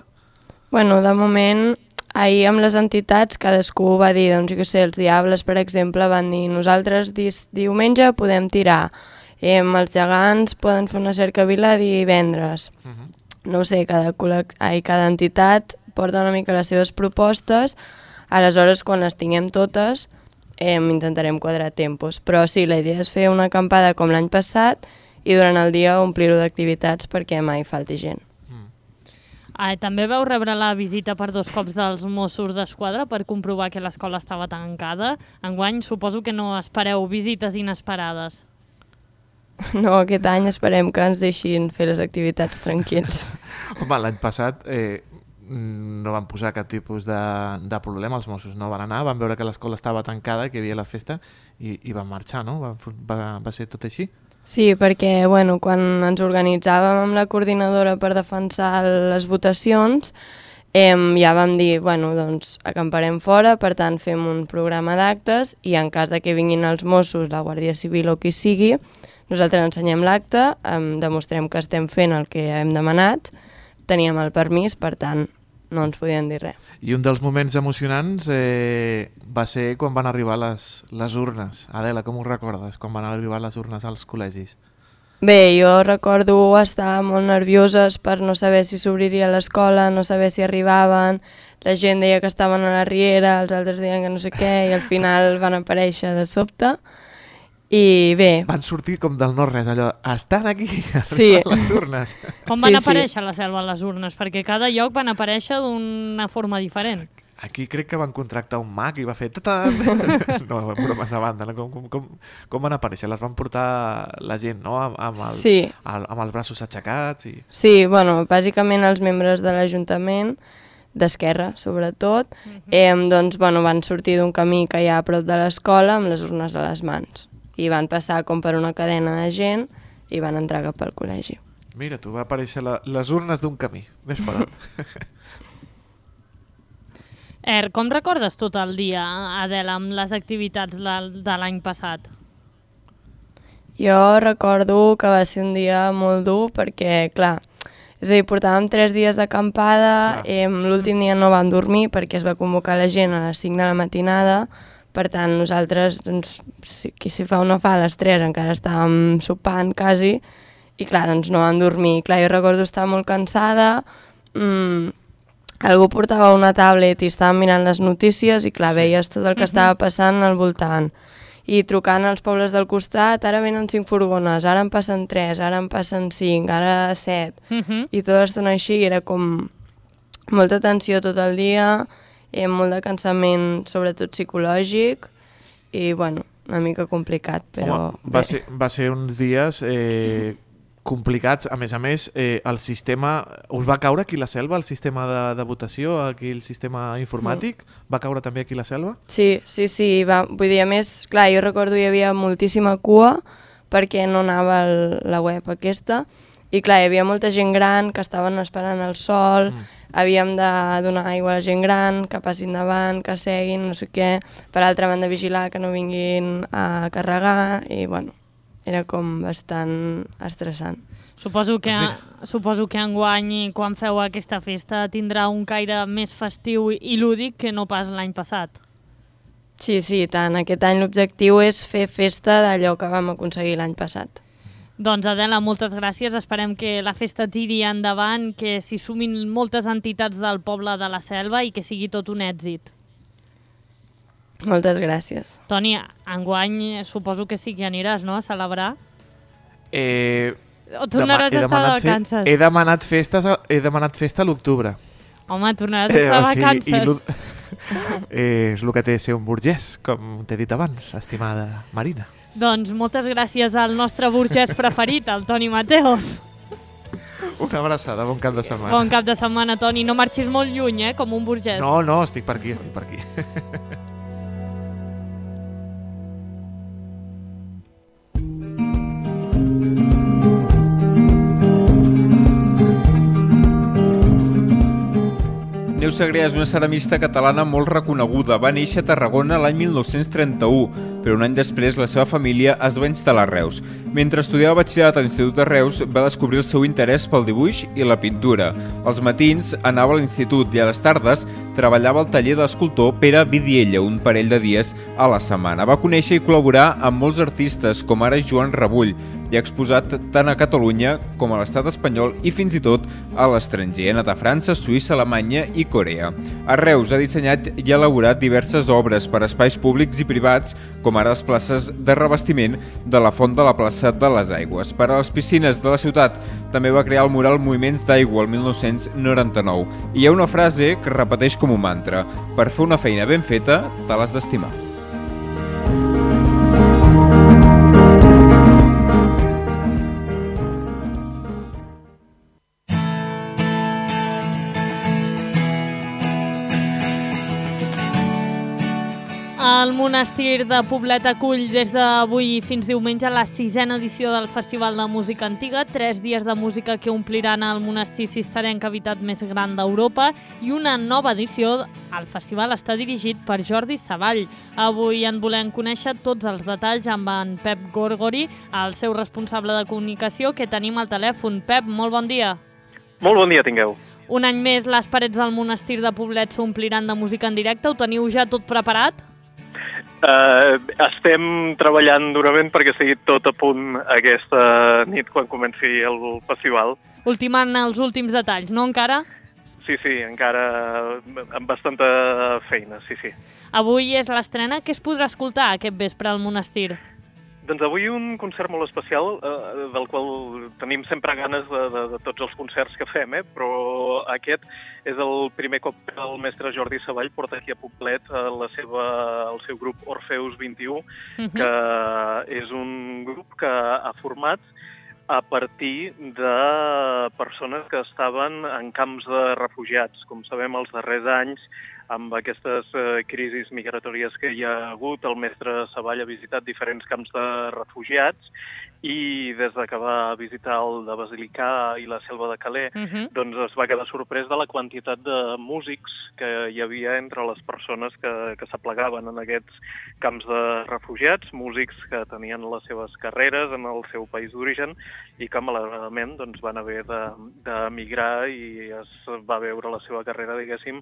Bueno, de moment, ahir amb les entitats cadascú va dir, doncs jo què sé, els Diables, per exemple, van dir nosaltres diumenge podem tirar, els gegants poden fer una cercavila divendres. No ho sé, cada entitat porta una mica les seves propostes. Aleshores, quan les tinguem totes, intentarem quadrar tempos. Però sí, la idea és fer una acampada com l'any passat i durant el dia omplir-ho d'activitats perquè mai falti gent. També vau rebre la visita per 2 cops dels Mossos d'Esquadra per comprovar que l'escola estava tancada. Enguany suposo que no espereu visites inesperades. No, aquest any esperem que ens deixin fer les activitats tranquils. Home, l'any passat no van posar cap tipus de problema, els Mossos no van anar, van veure que l'escola estava tancada, que hi havia la festa i van marxar, no? Va ser tot així? Sí, perquè bueno, quan ens organitzàvem amb la coordinadora per defensar les votacions, ja vam dir, bueno, doncs acamparem fora, per tant fem un programa d'actes i en cas de que vinguin els Mossos, la Guàrdia Civil o qui sigui, nosaltres ensenyem l'acte, demostrem que estem fent el que hem demanat, teníem el permís, per tant, no ens podien dir res. I un dels moments emocionants va ser quan van arribar les urnes. Adela, com ho recordes, quan van arribar les urnes als col·legis? Bé, jo recordo estar molt nervioses per no saber si s'obriria l'escola, no saber si arribaven, la gent deia que estaven a la riera, els altres deien que no sé què, i al final van aparèixer de sobte. I bé... Van sortir com del no-res, allò, estan aquí, sí. Les urnes. Com van aparèixer a la Selva les urnes? Perquè cada lloc van aparèixer d'una forma diferent. Aquí crec que van contractar un mag i va fer... No, bromes a banda, no? Com van aparèixer? Les van portar la gent, no? Amb els braços aixecats? Sí, bueno, bàsicament els membres de l'Ajuntament, d'Esquerra sobretot, doncs bueno, van sortir d'un camí que hi ha a prop de l'escola amb les urnes a les mans. I van passar com per una cadena de gent i van entrar cap al col·legi. Mira, tu va aparèixer les urnes d'un camí. Ves per on. Com recordes tot el dia, Adela, amb les activitats de l'any passat? Jo recordo que va ser un dia molt dur perquè, clar, és a dir, portàvem 3 dies d'acampada, l'últim dia no vam dormir perquè es va convocar la gent a les 5 de la matinada. Per tant, nosaltres, doncs, si fa o no fa, a les 3 encara estàvem sopant quasi, i clar, doncs no vam dormir. Clar, jo recordo estar molt cansada, algú portava una tablet i estàvem mirant les notícies i clar, veies tot el que estava passant al voltant. I trucant als pobles del costat, ara venen 5 furgones, ara en passen 3, ara en passen 5, ara 7, i tota l'estona així, era com molta tensió tot el dia, molt de cansament, sobretot psicològic, i bueno, una mica complicat, però... Home, va ser uns dies complicats, a més, el sistema... Us va caure aquí la Selva, el sistema de votació, aquí el sistema informàtic? Va caure també aquí la Selva? Sí, vull dir, a més, clar, jo recordo hi havia moltíssima cua perquè no anava la web aquesta, I clar, hi havia molta gent gran que estaven esperant el sol, havíem de donar aigua a la gent gran, que passin davant, que seguin, no sé què. Per altra banda, vigilar que no vinguin a carregar i, bueno, era com bastant estressant. Suposo que enguany, quan feu aquesta festa, tindrà un caire més festiu i lúdic que no pas l'any passat. Sí, tant. Aquest any l'objectiu és fer festa d'allò que vam aconseguir l'any passat. Doncs Adela, moltes gràcies. Esperem que la festa tiri endavant, que s'hi sumin moltes entitats del poble de la Selva i que sigui tot un èxit. Moltes gràcies. Toni, enguany suposo que sí que aniràs, no?, a celebrar? O tornaràs a estar de vacances? He demanat festa a l'octubre. Home, tornaràs a estar de vacances. És el que té ser un burgès, com t'he dit abans, estimada Marina. Doncs moltes gràcies al nostre burgès preferit, el Toni Mateos. Una abraçada, bon cap de setmana. Bon cap de setmana, Toni. No marxis molt lluny, com un burgès. No, estic per aquí. Neus Segrià és una ceramista catalana molt reconeguda. Va néixer a Tarragona l'any 1931, però un any després la seva família es va instal·lar a Reus. Mentre estudiava batxillerat a l'Institut de Reus, va descobrir el seu interès pel dibuix i la pintura. Als matins anava a l'institut i a les tardes treballava al taller de l'escultor Pere Vidiella, un parell de dies a la setmana. Va conèixer i col·laborar amb molts artistes, com ara Joan Rebull, i ha exposat tant a Catalunya com a l'estat espanyol i fins i tot a l'estranger. Ha anat a França, Suïssa, Alemanya i Corea. A Reus ha dissenyat i elaborat diverses obres per a espais públics i privats, com ara les places de revestiment de la Font de la Plaça de les Aigües. Per a les piscines de la ciutat també va crear el mural Moviments d'Aigua el 1999. I hi ha una frase que repeteix com un mantra: per fer una feina ben feta, te l'has d'estimar. El monestir de Poblet acull des d'avui fins diumenge la 6a edició del Festival de Música Antiga, 3 dies de música que ompliran el monestir cistercenc habitat més gran d'Europa i una nova edició. El festival està dirigit per Jordi Savall. Avui en volem conèixer tots els detalls amb en Pep Gorgori, el seu responsable de comunicació, que tenim al telèfon. Pep, molt bon dia. Molt bon dia tingueu. Un any més les parets del monestir de Poblet s'ompliran de música en directe. Ho teniu ja tot preparat? Estem treballant durament perquè sigui tot a punt aquesta nit quan comenci el festival. Ultimant els últims detalls, no encara? Sí, encara amb bastanta feina, sí. Avui és l'estrena. Què es podrà escoltar aquest vespre al monestir? Doncs avui un concert molt especial, del qual tenim sempre ganes de tots els concerts que fem, però aquest és el primer cop que el mestre Jordi Savall porta aquí a Poblet el seu grup Orfeus 21, que és un grup que ha format a partir de persones que estaven en camps de refugiats. Com sabem, els darrers anys, amb aquestes crisis migratòries que hi ha hagut, el mestre Savall ha visitat diferents camps de refugiats i des que va visitar el de Basilicà i la Selva de Calais, doncs es va quedar sorprès de la quantitat de músics que hi havia entre les persones que s'aplegaven en aquests camps de refugiats, músics que tenien les seves carreres en el seu país d'origen i que malauradament doncs, van haver d'emigrar i es va veure la seva carrera, diguéssim,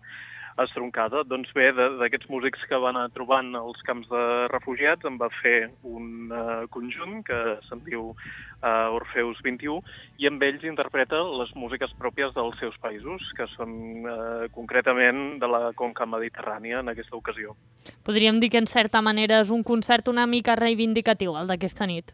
estroncada. Doncs bé, d'aquests músics que van anar trobant als camps de refugiats en va fer un conjunt que se'n diu Orfeus 21 i amb ells interpreta les músiques pròpies dels seus països, que són concretament de la conca mediterrània en aquesta ocasió. Podríem dir que en certa manera és un concert una mica reivindicatiu, el d'aquesta nit.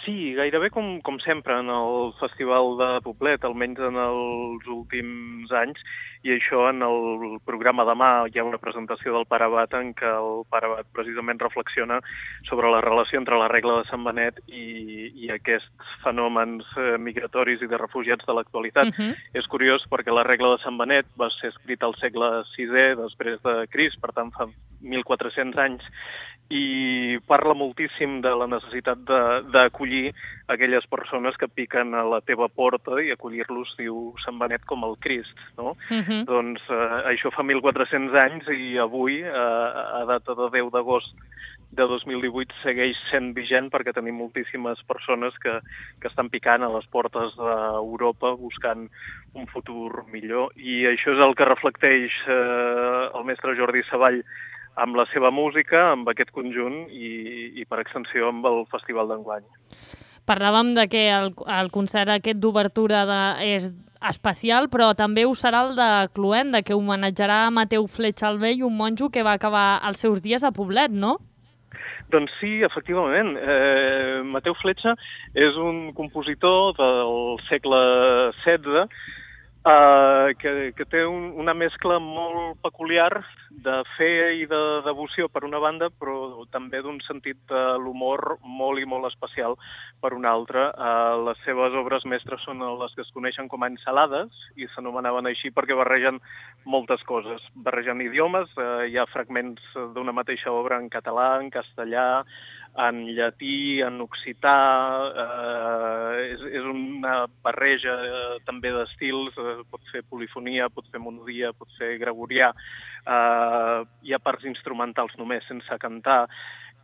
Sí, gairebé com sempre en el Festival de Poblet, almenys en els últims anys, i això en el programa demà hi ha una presentació del Pare Abat en què el Pare Abat precisament reflexiona sobre la relació entre la regla de Sant Benet i aquests fenòmens migratoris i de refugiats de l'actualitat. És curiós perquè la regla de Sant Benet va ser escrita al segle VI després de Crist, per tant fa 1.400 anys, i parla moltíssim de la necessitat d'acollir aquelles persones que piquen a la teva porta i acollir-los, diu Sant Benet, com el Crist, no? Doncs això fa 1.400 anys i avui, a data de 10 d'agost de 2018, segueix sent vigent perquè tenim moltíssimes persones que estan picant a les portes d'Europa buscant un futur millor. I això és el que reflecteix el mestre Jordi Savall amb la seva música, amb aquest conjunt i per extensió amb el Festival d'enguany. Parlàvem de que el concert aquest d'obertura és especial, però també ho serà el de Cluenda, que homenatjarà Mateu Fletxa el Vell, un monjo que va acabar els seus dies a Poblet, no? Doncs sí, efectivament. Mateu Fletxa és un compositor del segle XVI que té una mescla molt peculiar de fe i de devoció per una banda, però també d'un sentit de l'humor molt i molt especial per una altra. Les seves obres mestres són les que es coneixen com a ensalades i s'anomenaven així perquè barregen moltes coses. Barregen idiomes, hi ha fragments d'una mateixa obra en català, en castellà, en llatí, en occità, és una barreja també d'estils, pot fer polifonia, pot fer monodia, pot fer gregorià, hi ha parts instrumentals només, sense cantar,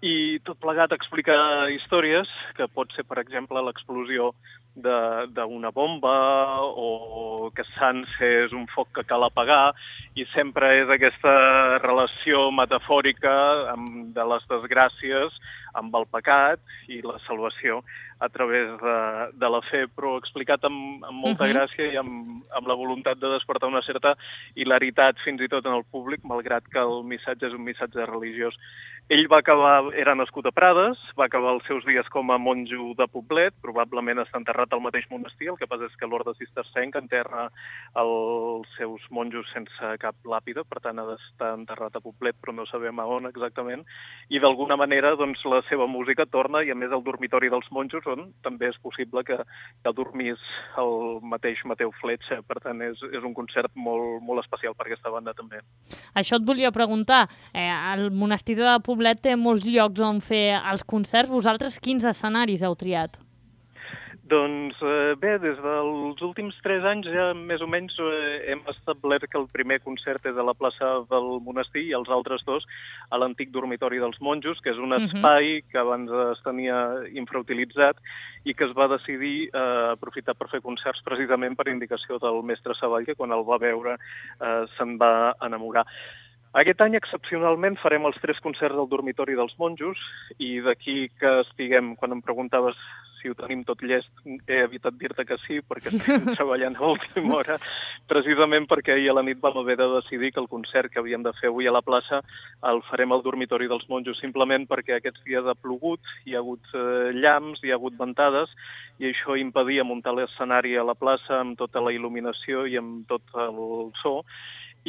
i tot plegat explica històries que pot ser, per exemple, l'explosió d'una bomba o que Sants és un foc que cal apagar i sempre és aquesta relació metafòrica de les desgràcies amb el pecat i la salvació a través de la fe, però explicat amb molta gràcia i amb la voluntat de despertar una certa hilaritat fins i tot en el públic, malgrat que el missatge és un missatge religiós. Ell era nascut a Prades, va acabar els seus dies com a monjo de Poblet, probablement està enterrat al mateix monestir, el que passa és que l'orde cistercenc enterra els seus monjos sense cap làpida, per tant ha d'estar enterrat a Poblet, però no sabem a on exactament, i d'alguna manera doncs, la seva música torna, i a més al dormitori dels monjos, on també és possible que dormís el mateix Mateu Fletxa, per tant és un concert molt, molt especial per aquesta banda també. Això et volia preguntar, el monestir de Poblet té molts llocs on fer els concerts. Vosaltres quins escenaris heu triat? Doncs bé, des dels últims 3 anys ja més o menys hem establert que el primer concert és a la plaça del monestir i els altres 2 a l'antic dormitori dels monjos, que és un espai que abans es tenia infrautilitzat i que es va decidir aprofitar per fer concerts precisament per indicació del mestre Savall, que quan el va veure se'n va enamorar. Aquest any, excepcionalment, farem els 3 concerts del dormitori dels monjos i d'aquí que estiguem, quan em preguntaves si ho tenim tot llest, he evitat dir-te que sí, perquè estem treballant a última hora, precisament perquè ahir a la nit vam haver de decidir que el concert que havíem de fer avui a la plaça el farem al dormitori dels monjos, simplement perquè aquests dies ha plogut, hi ha hagut llamps, hi ha hagut ventades, i això impedia muntar l'escenari a la plaça amb tota la il·luminació i amb tot el so,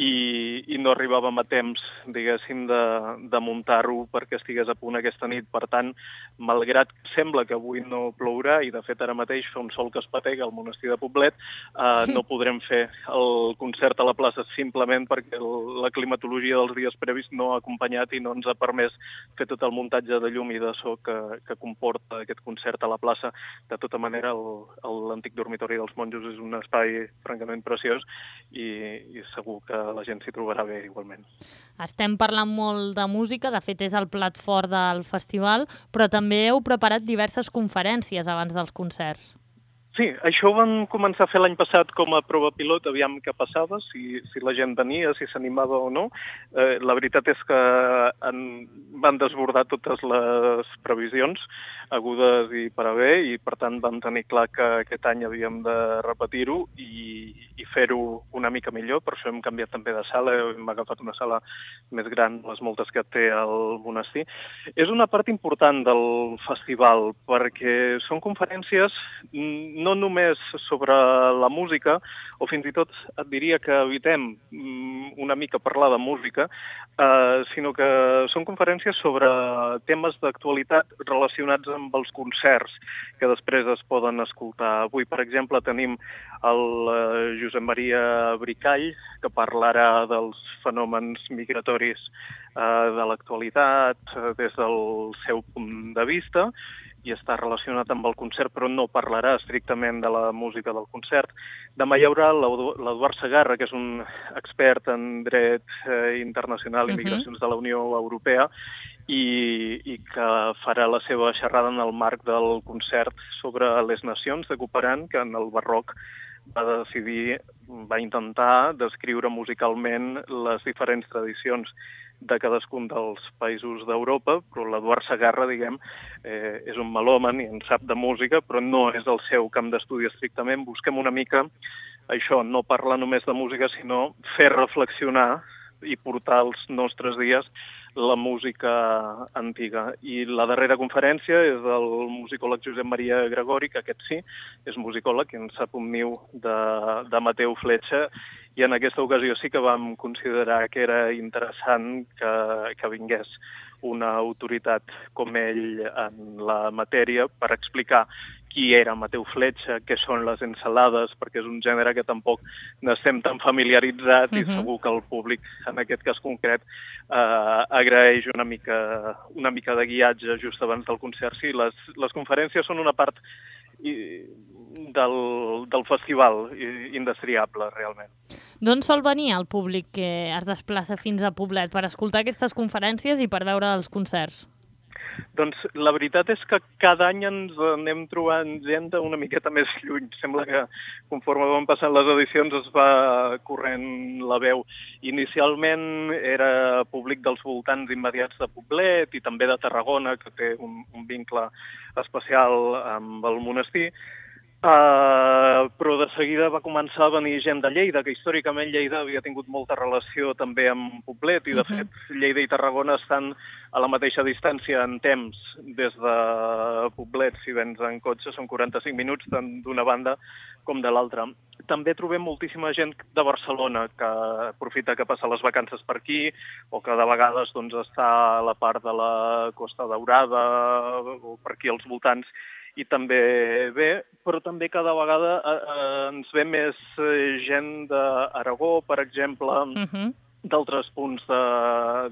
i no arribàvem a temps, diguéssim, de muntar-ho perquè estigués a punt aquesta nit. Per tant, malgrat que sembla que avui no plourà, i de fet ara mateix fa un sol que es patega al monestir de Poblet, no podrem fer el concert a la plaça simplement perquè la climatologia dels dies previs no ha acompanyat i no ens ha permès fer tot el muntatge de llum i de so que comporta aquest concert a la plaça. De tota manera, l'antic dormitori dels monjos és un espai francament preciós i segur que la gent s'hi trobarà bé igualment. Estem parlant molt de música, de fet és el plat fort del festival, però també heu preparat diverses conferències abans dels concerts. Sí, això ho vam començar a fer l'any passat com a prova pilot, aviam què passava, si la gent venia, si s'animava o no. La veritat és que van desbordar totes les previsions agudes i per a bé, i per tant vam tenir clar que aquest any havíem de repetir-ho i fer-ho una mica millor. Per això hem canviat també de sala, hem agafat una sala més gran, les moltes que té el monestir. És una part important del festival, perquè són conferències no només sobre la música, o fins i tot et diria que evitem una mica parlar de música, sinó que són conferències sobre temes d'actualitat relacionats amb els concerts que després es poden escoltar. Avui, per exemple, tenim el Josep Maria Bricall, que parlarà dels fenòmens migratoris de l'actualitat des del seu punt de vista, i està relacionat amb el concert, però no parlarà estrictament de la música del concert. Demà hi haurà l'Eduard Segarra, que és un expert en dret internacional i migracions de la Unió Europea, i que farà la seva xerrada en el marc del concert sobre les nacions de Couperin, que en el barroc va intentar descriure musicalment les diferents tradicions de cadascun dels països d'Europa, però l'Eduard Segarra, diguem, és un melòman i en sap de música, però no és el seu camp d'estudi estrictament. Busquem una mica això, no parlar només de música, sinó fer reflexionar i portar als nostres dies la música antiga. I la darrera conferència és del musicòleg Josep Maria Gregori, que aquest sí, és musicòleg i en sap un niu de Mateu Fletxa, i en aquesta ocasió sí que vam considerar que era interessant que vingués una autoritat com ell en la matèria per explicar qui era Mateu Fletxa, què són les ensalades, perquè és un gènere que tampoc n'estem tan familiaritzat i segur que el públic, en aquest cas concret, agraeix una mica de guiatge just abans del concert. Sí, les conferències són una part del festival indestriable, realment. D'on sol venir el públic que es desplaça fins a Poblet per escoltar aquestes conferències i per veure els concerts? Doncs la veritat és que cada any ens anem trobant gent una miqueta més lluny. Sembla que conforme van passant les edicions es va corrent la veu. Inicialment era públic dels voltants immediats de Poblet i també de Tarragona, que té un vincle especial amb el monestir. Però de seguida va començar a venir gent de Lleida, que històricament Lleida havia tingut molta relació també amb Poblet, i de fet Lleida i Tarragona estan a la mateixa distància en temps des de Poblet. Si vens en cotxe són 45 minuts tant d'una banda com de l'altra. També trobem moltíssima gent de Barcelona que aprofita que passa les vacances per aquí o que de vegades està a la part de la Costa Daurada o per aquí als voltants, i també ve, però també cada vegada ens ve més gent d'Aragó, per exemple, d'altres punts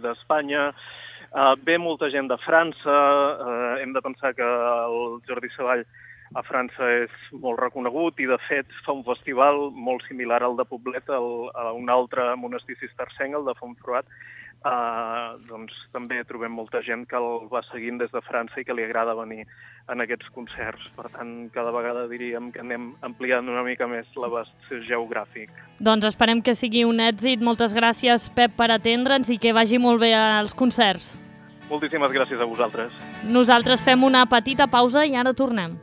d'Espanya. Ve molta gent de França. Hem de pensar que el Jordi Savall a França és molt reconegut i, de fet, fa un festival molt similar al de Poblet, a un altre monestir cistercenc, el de Fontfroid. Doncs també trobem molta gent que el va seguint des de França i que li agrada venir en aquests concerts. Per tant, cada vegada diríem que anem ampliant una mica més l'abast geogràfic. Doncs esperem que sigui un èxit. Moltes gràcies, Pep, per atendre'ns i que vagi molt bé als concerts. Moltíssimes gràcies a vosaltres. Nosaltres fem una petita pausa i ara tornem.